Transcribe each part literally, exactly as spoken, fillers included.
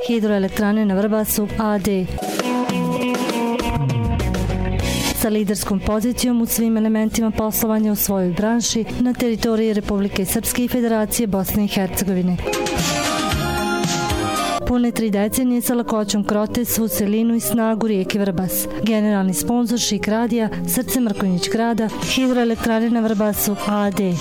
Hidroelektrane na Vrbasu a d sa liderskom pozicijom u svim elementima poslovanja u svojoj branši na teritoriji Republike Srpske i Federacije Bosne i Hercegovine. Pune tri decenije sa lakoćom krote svu celinu i snagu rijeke Vrbas. Generalni sponzor Šik radija, srce Mrkonjić grada, Hidroelektrane na Vrbasu a d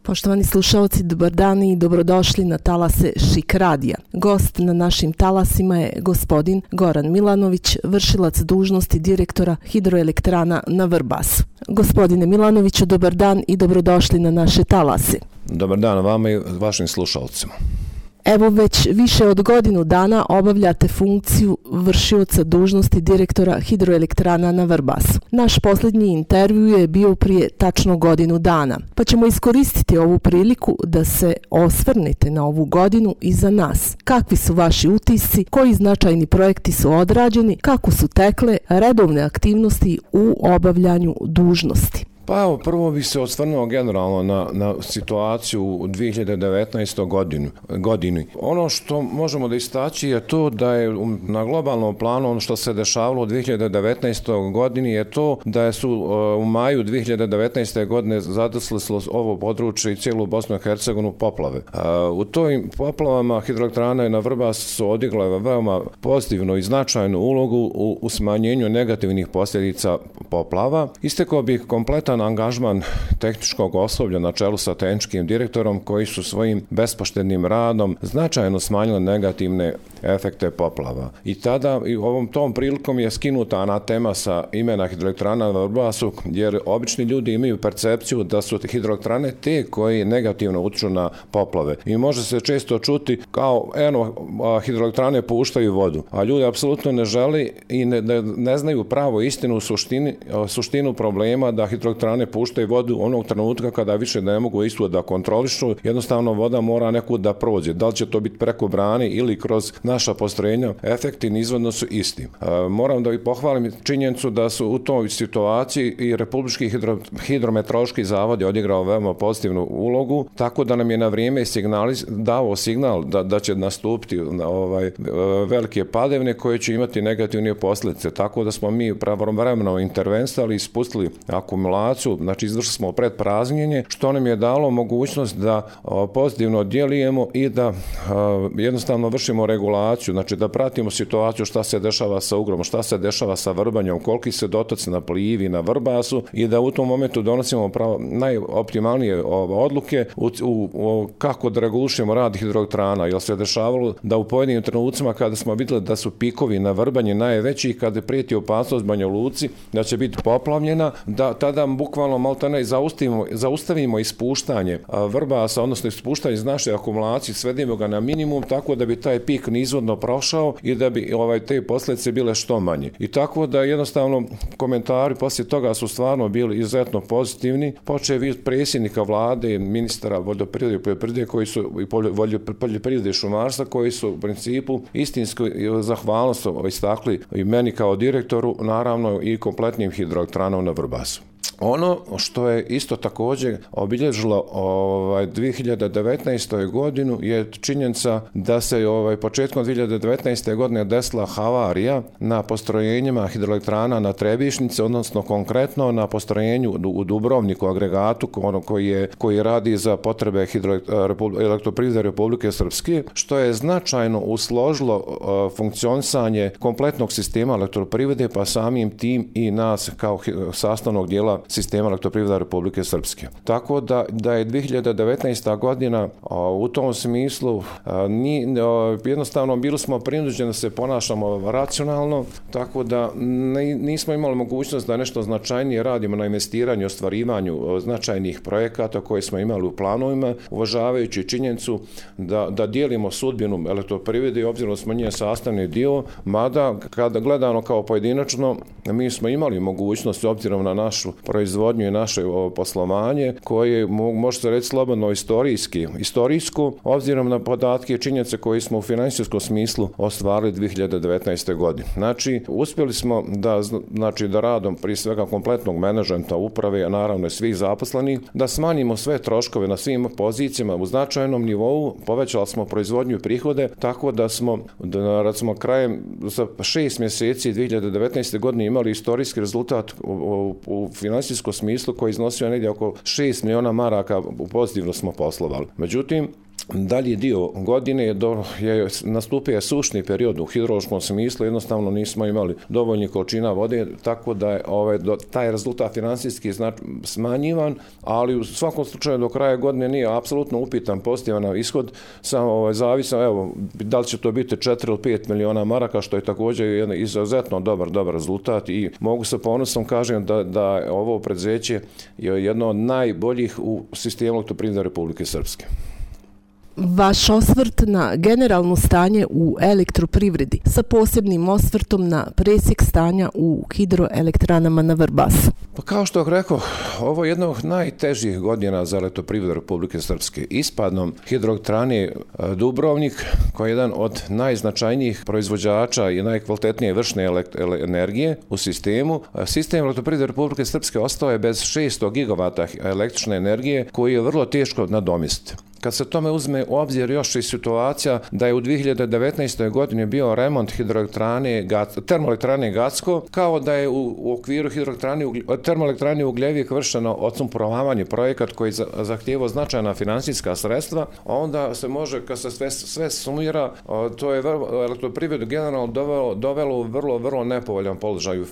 Poštovani slušalci, dobar dan i dobrodošli na talase Šik radija. Gost na našim talasima je gospodin Goran Milanović, vršilac dužnosti direktora Hidroelektrana na Vrbasu. Gospodine Milanoviću, dobar dan i dobrodošli na naše talase. Dobar dan vama i vašim slušalcima. Evo već više od godinu dana obavljate funkciju vršioca dužnosti direktora Hidroelektrana na Vrbasu. Naš posljednji intervju je bio prije tačno godinu dana, pa ćemo iskoristiti ovu priliku da se osvrnete na ovu godinu iza nas. Kakvi su vaši utisci, koji značajni projekti su odrađeni, kako su tekle redovne aktivnosti u obavljanju dužnosti? Pa evo, prvo bih se osvrnuo generalno na, na situaciju u dvije hiljade devetnaestoj godini, godini. Ono što možemo da istaći je to da je na globalnom planu ono što se dešavalo u dvije hiljade devetnaestoj godini je to da su u maju dvije hiljade devetnaeste godine zadesile ovo područje i cijelu Bosnu i Hercegovinu poplave. U tojim poplavama Hidroelektrane na Vrbasu su odigrale veoma pozitivnu i značajnu ulogu u, u smanjenju negativnih posljedica poplava. Istekao bih kompletan angažman tehničkog osoblja na čelu sa tehničkim direktorom koji su svojim bespoštednim radom značajno smanjili negativne efekte poplava. I tada i ovom tom prilikom je skinuta anatema sa imena Hidroelektrana na Vrbasu, jer obični ljudi imaju percepciju da su hidroelektrane te koji negativno utječu na poplave. I može se često čuti kao eno hidroelektrane puštaju vodu, a ljudi apsolutno ne žele i ne, ne, ne znaju pravo istinu suštini, suštinu problema da hidroelektrane puštaju vodu onog trenutka kada više ne mogu istu da kontrolišu, jednostavno voda mora nekud da prođe. Da li će to biti preko brane ili kroz naša postrojenja, efekti nizvodno su isti. E, moram da i pohvalim činjenicu da su u toj situaciji i Republički hidro, hidrometeorološki zavod je odigrao veoma pozitivnu ulogu, tako da nam je na vrijeme signalis, dao signal da, da će nastupiti ovaj, velike padavine koje će imati negativne posljedice. Tako da smo mi pravovremeno intervensali i spustili akumulaciju, znači izvršili smo predpraznjenje, što nam je dalo mogućnost da o, pozitivno djelujemo i da o, jednostavno vršimo regulaciju, znači da pratimo situaciju šta se dešava sa Ugrom, šta se dešava sa Vrbanjom, koliki se dotoci na Plivi, na Vrbasu i da u tom momentu donosimo pravo, najoptimalnije o, odluke u, u, u, kako da regulišemo rad hidroelektrana, jer se dešavalo da u pojedinim trenucima kada smo vidjeli da su pikovi na Vrbanji najveći, kada prijeti opasnost Banja Luci da će biti poplavljena, da tada bukvalno maltene zaustavimo, zaustavimo ispuštanje Vrbasa, odnosno ispuštanje iz naše akumulacije, svedimo ga na minimum tako da bi taj pik nizvodno prošao i da bi ovaj, te posljedice bile što manje. I tako da jednostavno komentari poslije toga su stvarno bili izuzetno pozitivni, počev od predsjednika vlade, ministra vodoprivrede i poljoprivrede koji su i poljoprivrede i šumarstva koji su u principu istinsku zahvalnost istakli i meni kao direktoru, naravno i kompletnim hidroelektranom na Vrbasu. Ono što je isto također obilježilo ovaj dvije hiljade devetnaestoj godinu je činjenica da se ovaj početkom dvije hiljade devetnaeste godine desila havarija na postrojenjima hidroelektrana na Trebišnici, odnosno konkretno na postrojenju u Dubrovniku agregatu koji je koji radi za potrebe hidroelektroprivrede Republike Srpske, što je značajno usložilo uh, funkcionisanje kompletnog sistema elektroprivrede, pa samim tim i nas kao sastavnog dijela sistema elektroprivrede Republike Srpske. Tako da, da je dvije hiljade devetnaesta godina a, u tom smislu a, ni, a, jednostavno bili smo prinuđeni da se ponašamo racionalno, tako da ne, nismo imali mogućnost da nešto značajnije radimo na investiranju, ostvarivanju značajnih projekata koje smo imali u planovima, uvažavajući činjenicu da, da dijelimo sudbinu elektroprivrede i obzirom da smo nje sastavni dio, mada kada gledano kao pojedinačno, mi smo imali mogućnost obzirom na našu proizvodnju i naše poslovanje koje može se reći slobodno istorijski, istorijsko, obzirom na podatke i činjenice koje smo u finansijskom smislu ostvarili dvije hiljade devetnaeste. godine. Znači, uspjeli smo da, znači, da radom prije svega kompletnog menadžmenta uprave, a naravno i svih zaposlenih, da smanjimo sve troškove na svim pozicijama u značajnom nivou, povećali smo proizvodnju i prihode, tako da smo, da, recimo, krajem za šest mjeseci dvije hiljade devetnaeste. godine imali istorijski rezultat u, u, u finansijskom smislu koji iznosio negdje oko šest miliona maraka, pozitivno smo poslovali. Međutim, dalji dio godine je, do, je nastupio sušni period u hidrološkom smislu, jednostavno nismo imali dovoljnih količina vode, tako da je ovaj, do, taj rezultat finansijski znači, smanjivan, ali u svakom slučaju do kraja godine nije apsolutno upitan pozitivan ishod, samo ovaj, zavisno, evo, da li će to biti četiri ili pet miliona maraka, što je također jedan izuzetno dobar, dobar rezultat i mogu sa ponosom kažem da, da ovo preduzeće je jedno od najboljih u sistemu Elektroprivrede Republike Srpske. Vaš osvrt na generalno stanje u elektroprivredi sa posebnim osvrtom na presjek stanja u hidroelektranama na Vrbasu. Pa kao što rekao, ovo je jedna od najtežih godina za Elektroprivredu Republike Srpske. Ispadnom hidroelektrane Dubrovnik, koji je jedan od najznačajnijih proizvođača i najkvalitetnije vršne energije u sistemu, sistem Elektroprivrede Republike Srpske ostao je bez šesto gigavata električne energije koji je vrlo teško nadomjestiti. Kad se tome uzme u obzir još i situacija da je u dvije hiljade devetnaestoj. godini bio remont hidroelektrane, termoelektrane Gacko, kao da je u, u okviru hidroelektrane, termoelektrane Ugljevik vršeno odsumporavanje projekat koji zahtijevao značajna financijska sredstva, onda se može, kad se sve, sve sumira, to je Elektroprivredu generalno dovelo, dovelo u vrlo, vrlo nepovoljan položaj u,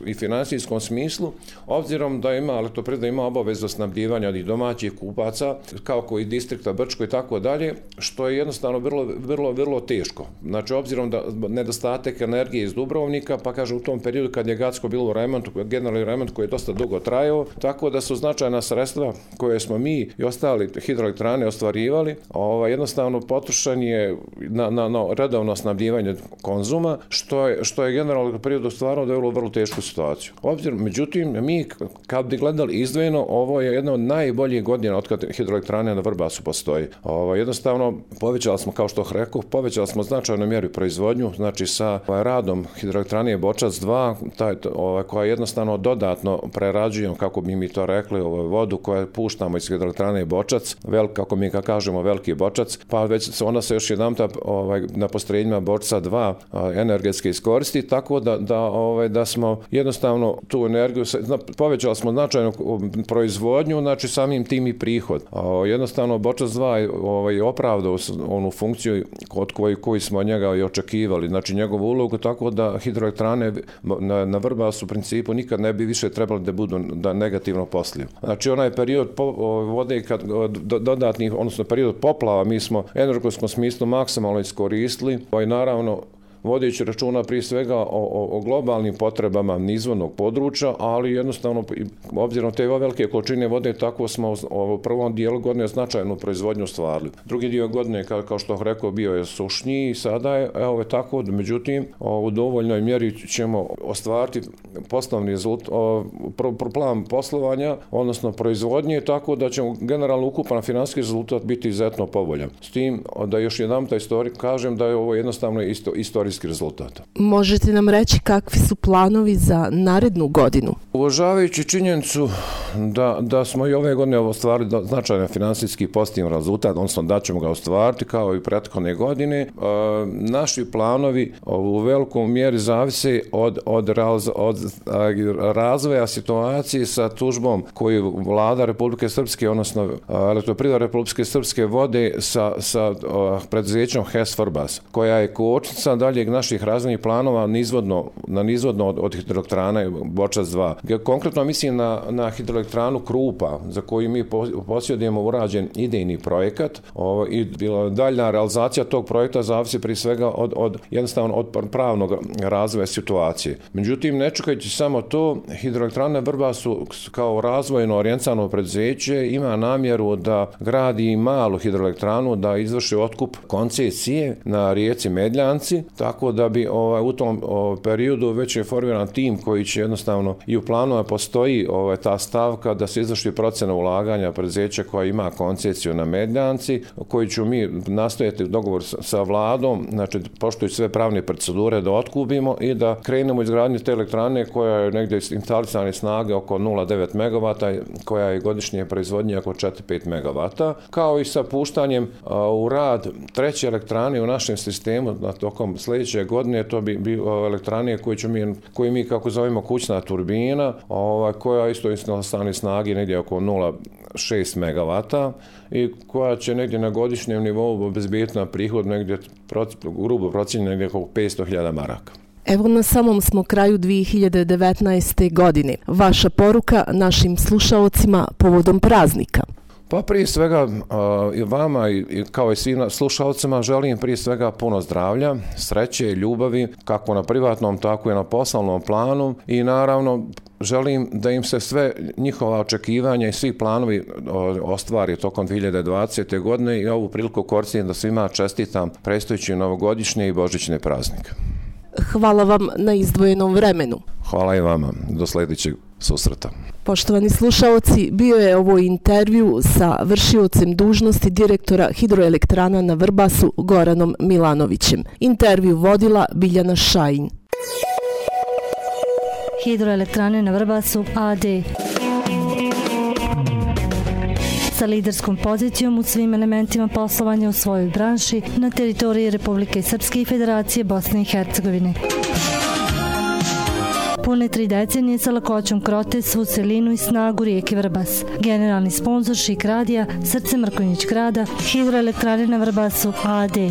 i financijskom smislu, obzirom da ima Elektroprivreda ima obavezu snabdijevanja i domaćih kupaca, kao koji distrikta Brčko i tako dalje, što je jednostavno vrlo, vrlo, vrlo teško. Znači, obzirom da nedostatak energije iz Dubrovnika, pa kaže u tom periodu kad je Gacko bilo u remontu, generalni remont koji je dosta dugo trajao, tako da su značajna sredstva koje smo mi i ostali hidroelektrane ostvarivali, ovaj, jednostavno potrošen je na, na, na redovno snabdijevanje konzuma, što je, što je generalno periodu stvarno dovelo vrlo tešku situaciju. Obzirom, međutim, mi kad bi gledali izdvojeno, ovo je jedna od najboljih godina od kad hidroelektrane na Vrbasu postoji. Ovo, jednostavno, povećali smo, kao što rekao, povećali smo značajnu mjeru proizvodnju, znači sa ovaj, radom hidroelektrane Bočac dva, taj, ovaj, koja jednostavno dodatno prerađujemo, kako bi mi to rekli, ovaj, vodu koju puštamo iz hidroelektrane Bočac, vel, kako mi ga kažemo, veliki Bočac, pa već onda se još jedan ovaj, na postrojenjima Bočca dva a, energetski iskoristi, tako da, da, ovaj, da smo jednostavno tu energiju, povećali smo značajnu proizvodnju, znači samim tim i prihod. A, jednostavno Bočac dva je ovaj, opravdao onu funkciju od koji, koji smo njega i očekivali, znači njegovu ulogu, tako da hidroelektrane na, na Vrbasu u principu nikad ne bi više trebali da budu da negativno posliju. Znači onaj period po, vode kad, do, dodatnih, odnosno period poplava, mi smo u energetskom smislu maksimalno iskoristili, pa i naravno vodeći računa prije svega o, o, o globalnim potrebama nizvodnog područja, ali jednostavno, obzirom te velike količine vode, tako smo u prvom dijelu godine značajnu proizvodnju stvarili. Drugi dio godine, kao, kao što rekao, bio je sušniji i sada je, evo je tako, međutim, u dovoljnoj mjeri ćemo ostvariti poslovni rezultat, pro, pro plan poslovanja, odnosno proizvodnje, tako da ćemo generalno ukupan financijski rezultat biti izuzetno povoljan. S tim da još jedan taj istorij kažem da je ovo jednostavno isto, istorij rezultata. Možete nam reći kakvi su planovi za narednu godinu? Uvažavajući činjenicu da, da smo i ove godine ostvarili značajan financijski pozitivan rezultat, odnosno da ćemo ga ostvariti kao i prethodne godine, naši planovi u velikom mjeri zavise od, od, raz, od razvoja situacije sa tužbom koju vlada Republike Srpske, odnosno Elektroprivreda Republike Srpske vode sa, sa preduzećem H E S Vrbas, koja je kočnica dalje naših razvojnih planova nizvodno, na nizvodno od, od hidroelektrane Bočac dva. Konkretno mislim na, na hidroelektranu Krupa, za koju mi posjedujemo urađen idejni projekat o, i daljna realizacija tog projekta zavisi prije svega od, od jednostavno od pravnog razvoja situacije. Međutim, ne čekajući samo to, hidroelektrana Vrbasu kao razvojno orijentisano preduzeće ima namjeru da gradi malu hidroelektranu, da izvrši otkup koncesije na rijeci Medljanci, tako da bi ovaj, u tom ovaj, periodu već je formiran tim koji će jednostavno i u planu postoji ovaj, ta stavka da se izvrši procena ulaganja preduzeća koja ima koncesiju na Mednjanci, koji ću mi nastojati dogovor sa vladom, znači poštujući sve pravne procedure da otkupimo i da krenemo izgradnju te elektrane koja je negdje instalisane snage oko nula zarez devet megavata, koja je godišnje proizvodnje oko četiri do pet megavata, kao i sa puštanjem a, u rad treće elektrane u našem sistemu na tokom sljedeće godine. To bi bio elektrane koje, ću mi, koje mi kako zovemo kućna turbina, ova, koja isto instalisane snage negdje oko nula zarez šest megavata i koja će negdje na godišnjem nivou obezbijeti na prihod negdje, grubo procijenjeno, negdje oko petsto hiljada maraka. Evo na samom smo kraju dvije hiljade devetnaeste. godine. Vaša poruka našim slušaocima povodom praznika? Pa prije svega i vama i kao i svim slušalcima želim prije svega puno zdravlja, sreće i ljubavi kako na privatnom tako i na poslovnom planu i naravno želim da im se sve njihova očekivanja i svi planovi ostvari tokom dvije hiljade dvadesete. godine i ovu priliku koristim da svima čestitam predstojeći novogodišnje i božićne praznike. Hvala vam na izdvojenom vremenu. Hvala i vama. Do sljedećeg susreta. Poštovani slušaoci, bio je ovo intervju sa vršiocem dužnosti direktora Hidroelektrana na Vrbasu Goranom Milanovićem. Intervju vodila Biljana Šajin. Hidroelektrane na Vrbasu a d sa liderskom pozicijom u svim elementima poslovanja u svojoj branši na teritoriji Republike Srpske i Federacije Bosne i Hercegovine. Pune tri decenije sa lakoćom krote svu celinu i snagu rijeke Vrbas. Generalni sponzor Šik radija, Srce Mrkonjić grada, Hidroelektrane na Vrbasu a d